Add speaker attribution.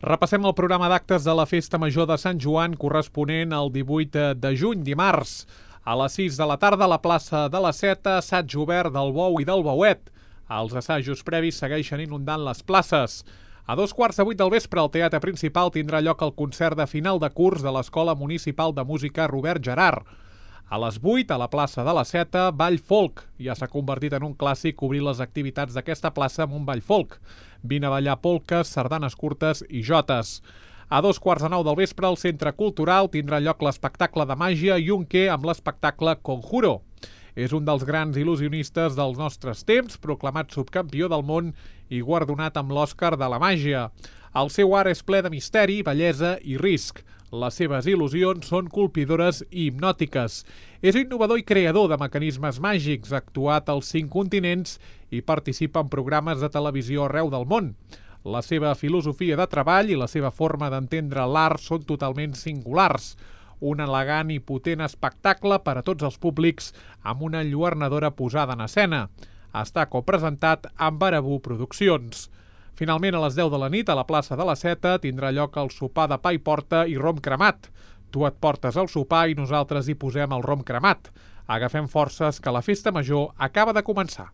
Speaker 1: Repassem el programa d'actes de la Festa Major de Sant Joan corresponent al 18 de juny, dimarts. A les 6 de la tarda a la plaça de la Seta, assaig obert del Bou i del Bouet. Els assajos previs segueixen inundant les places. A 2:15 del vespre al Teatre Principal tindrà lloc el concert de final de curs de l'Escola Municipal de Música Robert Gerard. A les 8, a la plaça de la Seta, ball folk. Ja s'ha convertit en un clàssic obrir les activitats d'aquesta plaça amb un ball folk. Vine a ballar polques, sardanes curtes i jotes. A 2:15 del vespre, al Centre Cultural tindrà lloc l'espectacle de màgia Junque amb l'espectacle Conjuro. És un dels grans il·lusionistes dels nostres temps, proclamat subcampió del món i guardonat amb l'Òscar de la màgia. El seu art és ple de misteri, bellesa i risc. Les seves il·lusions són colpidores i hipnòtiques. És innovador i creador de mecanismes màgics, ha actuat als 5 continents i participa en programes de televisió arreu del món. La seva filosofia de treball i la seva forma d'entendre l'art són totalment singulars. Un elegant i potent espectacle per a tots els públics amb una enlluernadora posada en escena. Està copresentat amb Barabú Produccions. Finalment, a les 10 de la nit, a la plaça de la Seta, tindrà lloc el sopar de pa i porta i rom cremat. Tu et portes el sopar i nosaltres hi posem el rom cremat. Agafem forces que la festa major acaba de començar.